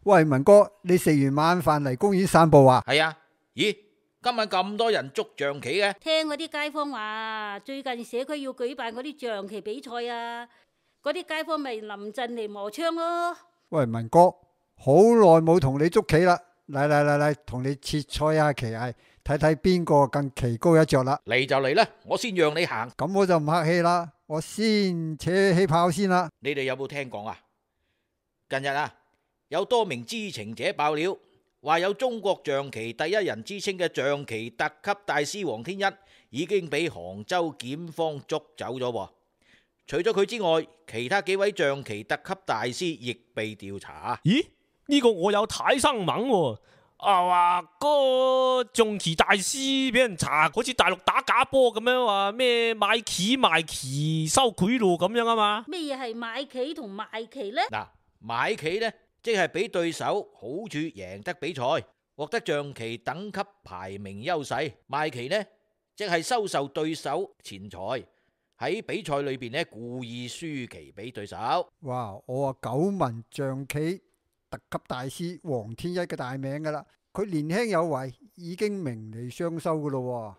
喂，文哥，你食完晚飯嚟公園散步啊？係啊，咦，今晚咁多人捉象棋嘅？聽嗰啲街坊話，最近社區要舉辦嗰啲象棋比賽啊，嗰啲街坊咪臨陣嚟磨槍咯。喂，文哥，好耐冇同你捉棋啦，嚟，同你切磋下棋藝，睇睇邊個更棋高一着啦。嚟就嚟啦，我先讓你行。咁我就唔客氣啦，我先扯起炮先啦。你哋有冇聽講啊？近日啊，有多名知情者爆料，話有中國象棋第一人之稱嘅象棋特級大師黃天一已經俾杭州檢方捉走咗喎。除咗佢之外，其他幾位象棋特級大師亦被調查。咦？呢個我有睇新聞喎，話個象棋大師俾人查，好似大陸打假波咁樣，話咩買棋賣棋收賄賂咁樣啊嘛？咩嘢係買棋同賣棋呢？嗱，買棋呢，即係俾對手好處贏得比賽，獲得象棋等級排名優勢；賣棋呢，即係收受對手錢財，喺比賽裏邊呢故意輸棋俾對手。哇！我話久聞象棋特級大師黃天一嘅大名噶啦，佢年輕有為，已經名利雙收噶咯。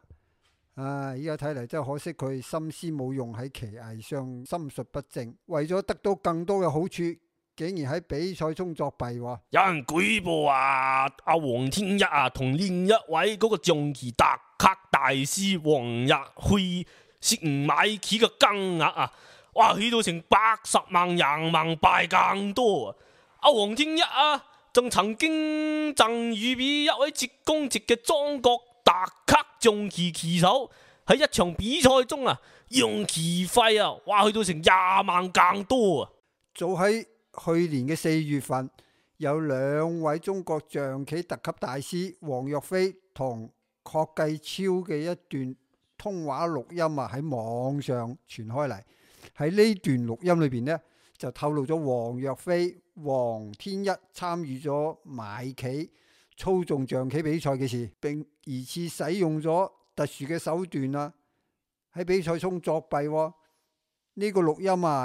依家睇嚟真係可惜，佢心思冇用喺棋藝上，心術不正，為咗得到更多嘅好處，竟然喺比賽中作弊。有人舉報話阿黃天一同另一位嗰個象棋特級大師黃日輝涉嫌買棋嘅金額哇，去到成80萬人民幣更多啊！阿黃天一仲曾經贈予俾一位浙江籍嘅中國特級象棋棋手，喺一場比賽中用棋費哇，去到成20萬更多啊！早喺去年嘅4月份，有2位中國象棋特級大師黃若飛同郝繼超嘅一段通話錄音喺網上傳開嚟。喺呢段錄音裏邊呢，就透露咗黃若飛、黃天一參與咗買棋、操縱象棋比賽嘅事，並疑似使用咗特殊嘅手段喺比賽中作弊。呢個錄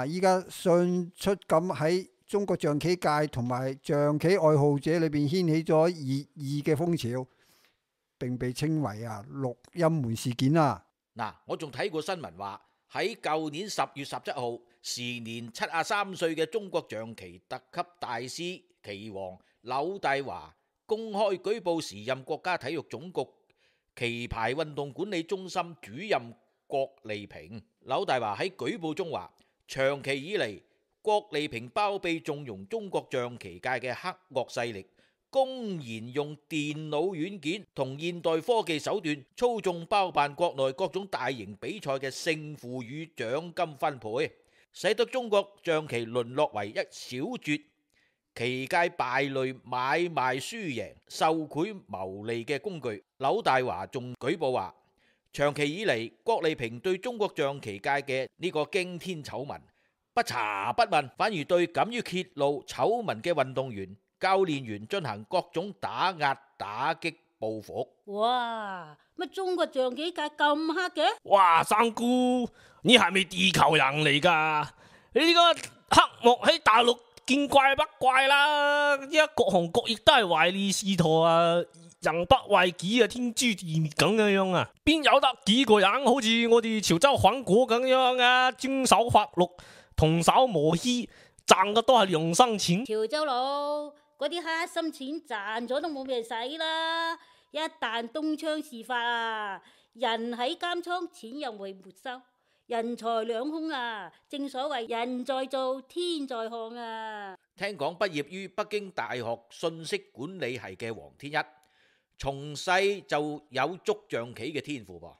音依家迅速咁喺中國象棋界同埋象棋愛好者裏邊掀起咗熱議嘅風潮，並被稱為錄音門事件啊！嗱，我仲睇過新聞話，喺舊年10月17號，時年73歲嘅中國象棋特級大師棋王柳大華公開舉報時任國家體育總局棋牌運動管理中心主任郭利平。柳大華喺舉報中話，長期以嚟，郭利平包庇縱容中國象棋界嘅黑惡勢力，公然用電腦軟件同現代科技手段操縱包辦國內各種大型比賽嘅勝負與獎金分配，使得中國象棋淪落為一小撮棋界敗類買賣輸贏、受賄牟利嘅工具。柳大華仲舉報話，長期以嚟，郭利平對中國象棋界嘅呢個驚天醜聞不查不問，反而對敢於揭露醜聞嘅運動員、教練員進行各種打壓、打擊、報復。哇！乜中國象棋界咁黑嘅？哇，三姑，你係咪地球人嚟噶？你呢個黑幕喺大陸見怪不怪啦，依家各行各業都係唯利是圖人不為己天誅地滅咁樣邊有得幾個人好似我哋潮州反果咁樣遵守法律，童叟無欺，賺嘅都係良心錢。潮州佬嗰啲黑心錢賺咗都冇咩使啦，一旦東窗事發人喺監倉，錢又會沒收，人財兩空正所謂人在做天在看聽講畢業於北京大學信息管理系嘅黃天一，從細就有捉象棋嘅天賦噃。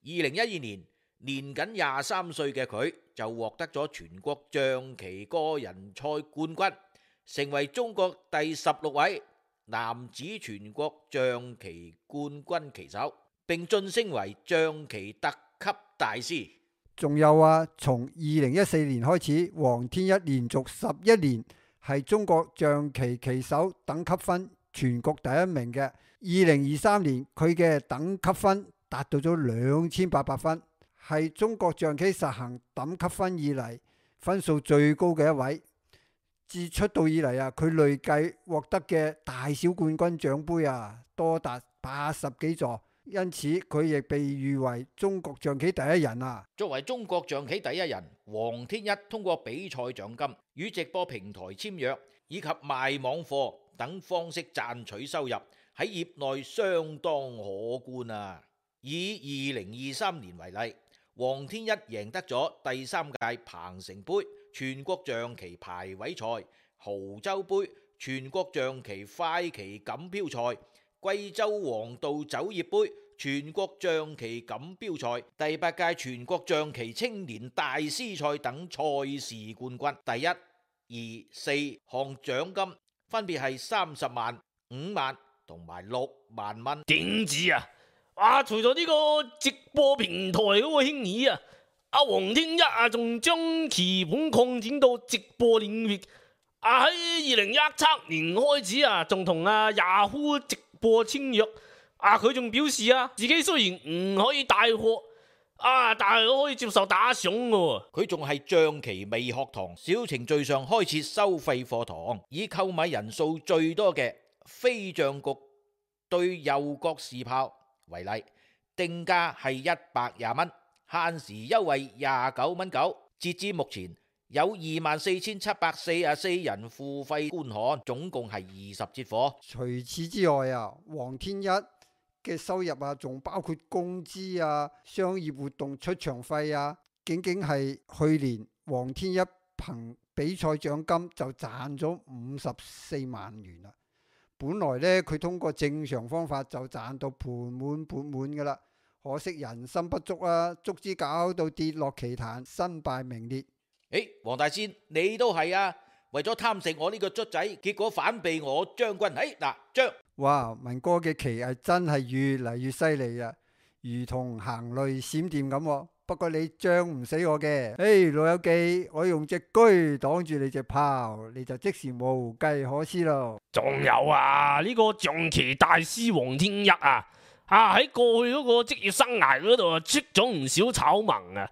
2012年，年僅23歲嘅佢就獲得咗全國象棋個人賽冠軍，成為中國第16位男子全國象棋冠軍棋手，並晉升為象棋特級大師。仲有從2014年開始，黃天一連續11年係中國象棋棋手等級分全國第一名嘅。2023年佢嘅等級分達到咗2800分，係中國象棋實行等級分以嚟分數最高嘅一位。自出道以嚟啊，佢累計獲得嘅大小冠軍獎盃啊，多達80幾座，因此佢亦被譽為中國象棋第一人啊。作為中國象棋第一人，黃天一通過比賽獎金、與直播平台簽約以及賣網課等方式賺取收入，喺業內相當可觀啊！以2023年為例，黃天一贏得咗第3屆鵬城杯全國象棋排位賽、亳州杯全國象棋快棋錦標賽、貴州黃道酒業杯全國象棋錦標賽、第8屆全國象棋青年大師賽等賽事冠軍，第1、2、4項獎金分別係30萬、5萬同埋6萬蚊。點止啊！除咗呢個直播平台嗰個興起啊，阿黃天一啊仲將棋盤擴展到直播領域。喺2017年開始啊，仲同阿 Yahoo 直播簽約。佢仲表示啊，自己雖然唔可以帶貨但係都可以接受打賞嘅。佢仲係象棋微學堂小程序上開設收費課堂，以購買人數最多嘅飛象局對右角士炮為例，定價係120蚊，限時優惠29蚊9。截至目前有24,744人付費觀看，總共係20節課。除此之外啊，黃天一嘅收入啊，仲包括工資啊、商業活動出場費啊，僅僅係去年黃天一憑比賽獎金就賺咗54萬元啦。本來呢，佢通過正常方法就賺到盆滿缽滿噶啦，可惜人心不足啊，足之搞到跌落棋壇，身敗名裂。黃大仙，你都係啊？為咗貪食我呢個卒仔，結果反被我將軍。將哇，文哥嘅棋藝真係越嚟越犀利啊，如同行雷閃電咁。不過你將唔死我嘅，老友記，我用隻車擋住你隻炮，你就即時無計可施咯。仲有啊，呢個象棋大師黃天一喺過去嗰個職業生涯嗰度出咗唔少醜聞啊！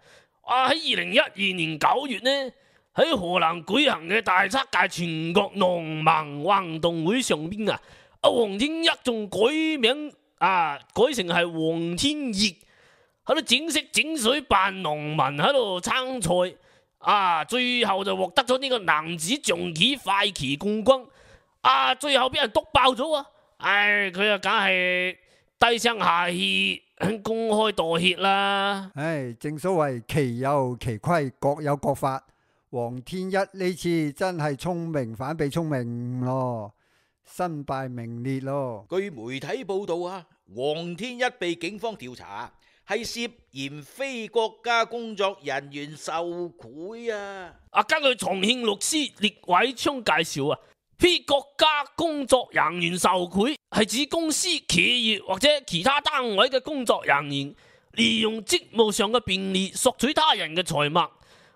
喺2012年9月呢，喺河南舉行嘅第7屆全國農民運動會上邊黃天一仲改名改成係黃天熱，喺度整色整水扮農民喺度參賽，最後就獲得咗呢個男子象棋快棋冠軍，最後俾人督爆咗佢梗係低聲下氣公開道歉啦。正所謂棋有棋規，各有各法。黃天一呢次真係聰明反被聰明咯，身敗名裂咯。據媒體報道黃天一被警方調查，係涉嫌非國家工作人員受賄根據重慶律師聶偉昌介紹非國家工作人員受賄係指公司、企業或者其他單位嘅工作人員利用職務上嘅便利索取他人嘅財物，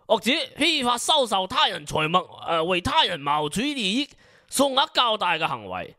或者非法收受他人財物為他人謀取利益、數額較大嘅行為。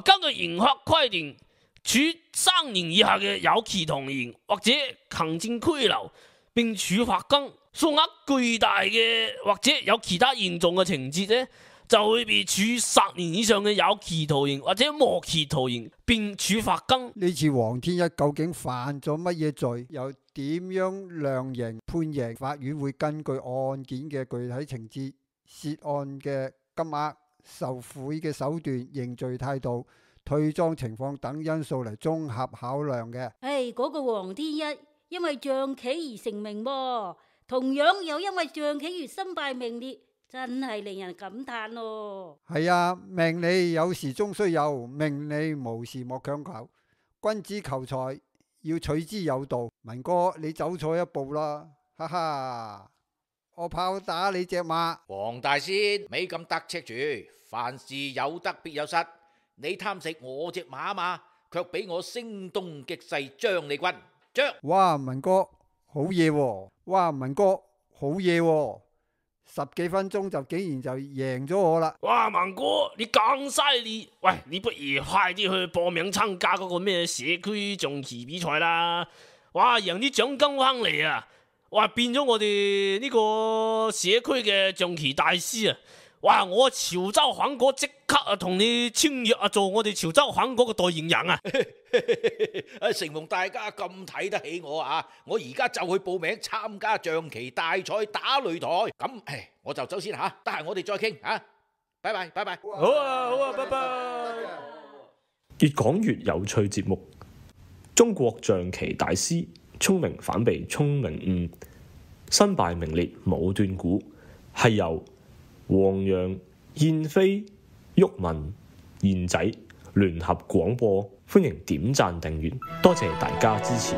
根據刑法規定，處3年以下嘅有期徒刑或者行政拘留，並處罰金。數額巨大嘅或者有其他嚴重嘅情節呢，就會被處10年以上嘅有期徒刑或者無期徒刑，並處罰金。呢次黃天一究竟犯咗乜嘢罪？又點樣量刑判刑？法院會根據案件嘅具體情節、涉案嘅金額、受賄嘅手段、認罪態度、退贓情況等因素嚟綜合考量嘅。嗰個黃天一因為象棋而成名喎，同樣又因為象棋而身敗名裂，真係令人感嘆咯。係命理有時終須有，命理無時莫強求。君子求財要取之有道。文哥，你走錯一步啦，哈哈！我炮打你隻馬。黃大仙，咪咁得戚住，凡事有得必有失。你貪食我隻馬嘛，卻俾我聲東擊西將你軍。哇，文哥好嘢喎！哇，文哥好嘢喎！10幾分鐘就竟然就贏咗我啦！哇，文哥你咁犀利，喂，你不如快啲去報名參加嗰個咩社區象棋比賽啦！哇，贏啲獎金翻嚟哇，變咗我哋呢個社區嘅象棋大師哇！我潮州粉果即刻啊同你簽約啊，做我哋潮州粉果嘅代言人啊！承蒙大家咁睇得起我啊，我而家就去報名參加象棋大賽打擂台。咁，我就走先吓，得閒我哋再傾吓。拜拜，拜拜。好啊，拜拜。越講越有趣節目，中國象棋大師，聰明反被聰明誤，身敗名裂冇斷估，係由黃洋、燕飛、毓民、燕仔聯合廣播，歡迎點讚訂閱，多謝大家支持。